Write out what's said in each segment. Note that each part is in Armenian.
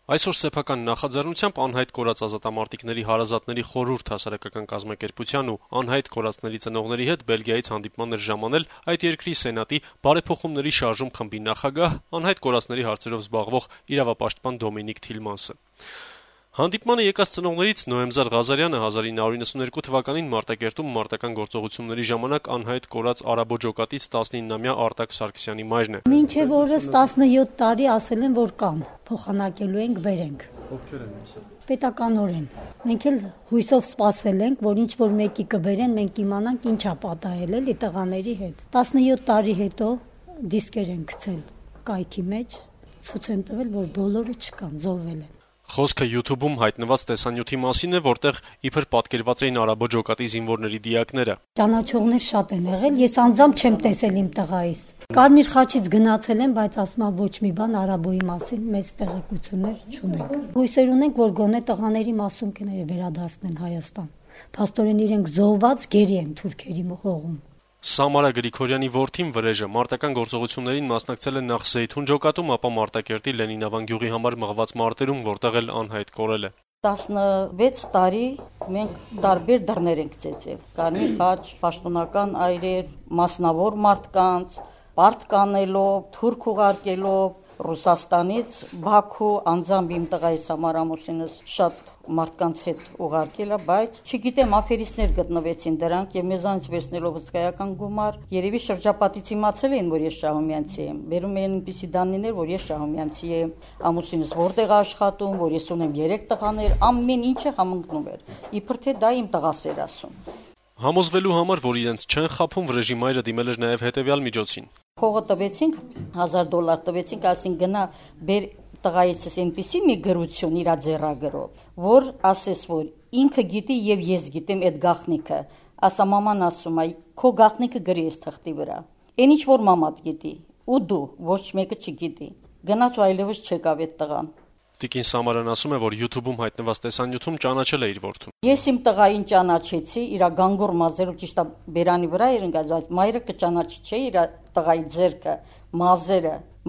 Այսօր սեփական նախաձեռնությամբ անհայտ կորած ազատամարտիկների հարազատների խորհուրդ հասարակական կազմակերպության ու անհայտ կորածների ծնողների հետ Բելգիայից հանդիպման էր ժամանել այդ երկրի սենատի բարեփոխումների շարժում խմբի նախագահ, անհայտ կորածների հարցերով զբաղվող իրավապաշտպան Դոմինիկ Թիլմանսը։ Հանդիպմանը եկած ծնողներից Նոեմզար Ղազարյանը 1992 թվականին Մարտակերտում մարտական գործողությունների ժամանակ անհայտ կորած Արաբո ջոկատից 19-ամյա Արտակ Սարգսյանի մայրն է։ Մինչև օրս 17 տարի ասել են, որ կան, փոխանակելու ենք, բերենք։ Ովքեր են ասել։ Պետականորեն։ Մենք էլ հույսով սպասել ենք, որ ինչ որ մեկի կբերեն, մենք իմանանք ինչա պատահել էլի տղաների հետ։ 17 տարի հետո դիսկեր են գցել կայքի մեջ, ցույց են տվել, որ բոլորը չկան, զոհվել են։ Խոսքը YouTube-ում հայտնված տեսանյութի մասին է, որտեղ իբր պատկերված էին Արաբո ջոկատի զինվորների դիակները։ Ճանաչողներ շատ են եղել, ես անձամբ չեմ տեսել իմ տղայիս։ Կարմիր խաչից գնացել են, բայց ասում եմ ոչ մի բան Արաբոյի մասին մեծ տեղեկություններ չունենք։ Հույսեր ունենք, որ գոնե տղաների մասունքները վերադասնեն Հայաստան։ Փաստորեն իրենք զոհված գերի են թուրքերի հողում։ Սամարա Գրիգորյանի որդին Վրեժը մարտական գործողություններին մասնակցել է նախ Զեյթուն ջոկատում, ապա Մարտակերտի Լենինավան գյուղի համար մղված մարտերում, որտեղ էլ անհայտ կորել է։ 16 տարի մենք տարբեր դռներ ենք ծեծել։ Կարմիր խաչ, պաշտոնական այրեր, մասնավոր մարդկանց, պարտ կանելով, թուրք ուղարկելով, Ռուսաստանից Բաքու անձամբ իմ տղայիս համար ամուսինս շատ մարդկանց հետ ուղարկել է, բայց չգիտեմ, աֆերիստներ գտնվեցին դրանք եւ մեզանից վերցնելով հսկայական գումար, երևի շրջապատից իմացել էին, որ ես Շահումյանցի եմ։ Բերում էին այնպիսի դանիներ, որ ես Շահումյանցի եմ, ամուսինս որտեղ է աշխատում, որ ես ունեմ 3 տղաներ, ամեն ինչը համընկնում էր։ Իբր թե դա իմ տղաս էր ասում։ Համոզվելու համար, որ իրենց չեն խաբում, Վրեժի մայրը դիմել էր նաև հետևյալ միջոցին։ Փողը տվեցինք, $1000 տվեցինք, ասին գնա բեր տղայիցս այնպիսի մի գրություն իր ձեռագրով, որ ասես, որ ինքը գիտի եւ ես գիտեմ այդ գաղտնիքը, ասա մաման ասում է, քո գաղտնիքը գրի էս թղթի վրա։ Այն ինչ որ մամադ գիտի, ու դու ոչ մեկը չգիտի։ Գնաց ու այլևս չեկավ այդ տղան։ Տիկին Սամարան ասում է, որ YouTube-ում հայտնված տեսանյութում ճանաչել է իր որդուն։ Ես իմ տղային ճանաչեցի, իր գանգուր մազերով ճիշտ է բերանի վրա էր ընկած, բայց մայրը կճանաչի չէ իր տղայի ձեռքը,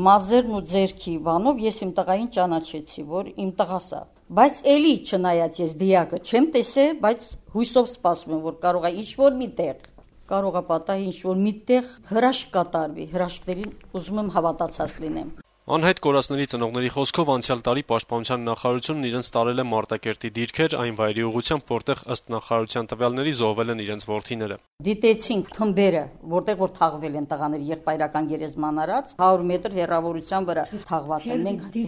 մազերն ու ձեռքի բանով ես իմ տղային ճանաչեցի, որ իմ տղաս է։ Բայց էլի չնայած ես դիակը չեմ տեսել, բայց հույսով սպասում եմ, որ կարող է ինչ-որ կարող է պատահի ինչ-որ միտեղ հրաշք կատարվի, հրաշքներին ուզում եմ հավատացած լինեմ։ Անհայտ կորածների ծնողների խոսքով անցյալ տարի Պաշտպանության նախարարությունն իրենց տարել է Մարտակերտի դիրքեր այն վայրի ուղղությամբ, որտեղ ըստ նախարարության տվյալների զոհվել են իրենց որդիները։ Դիտեցինք թմբերը, որտեղ որ թաղվել են տղաները եղբայրական գերեզման արած 100 մետր հեռավորության վրա թաղված են։ Մենք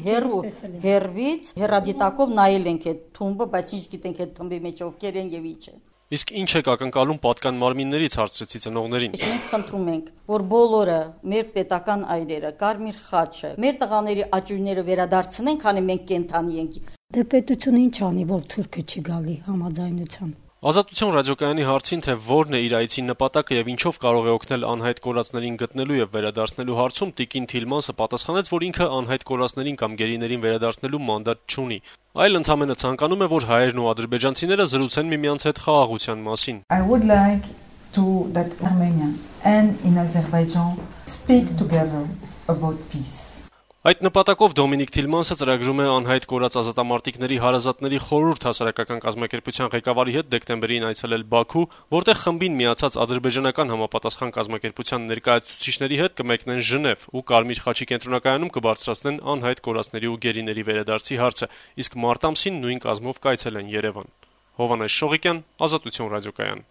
հեռվից հեռադիտակով նայել ենք այդ թումբը, բայց ինչ գիտենք այդ թմբի մեջ ովքեր են եւ ինչ են։ Իսկ ինչ եք ակնկալում պատկան մարմիններից, հարցրեցի ծնողներին։ Մենք խնդրում ենք, որ բոլորը մեր պետական այրերը, կարմիր խաչը, մեր տղաների աճույները վերադարձնեն, քանի մենք կենթանի ենք։ Դե պետությունը ինչ անի, որ թուրքը չի գալի համաձայնության։ Ազատություն ռադիոկայանի հարցին, թե որն է իր այցի նպատակը եւ ինչով կարող է օգնել անհայտ կորածներին գտնելու եւ վերադարձնելու հարցում, տիկին Թիլմանսը պատասխանեց, որ ինքը անհայտ կորածներին կամ գերիներին վերադարձնելու մանդատ չունի, այլ ընդհանրապես ցանկանում է, որ հայերն ու ադրբեջանցիները զրուցեն միմյանց հետ խաղաղության մասին։ I would like to that Armenia and in Azerbaijan speak together about peace. Այդ նպատակով Դոմինիկ Թիլմանսը ծրագրում է անհայտ կորած ազատամարտիկների հարազատների խորհուրդ հասարակական կազմակերպության ղեկավարի հետ դեկտեմբերին այցելել Բաքու, որտեղ խմբին միացած ադրբեջանական համապատասխան կազմակերպության ներկայացուցիչների հետ կմեկնեն Ժնև ու Կարմիր խաչի կենտրոնակայանում կբարձրացնեն անհայտ կորածների ու գերիների վերադարձի հարցը, իսկ մարտ ամսին նույն կազմով կայցելեն Երևան։ Հովհաննես Շողիկյան, Ազատություն ռադիոկայան։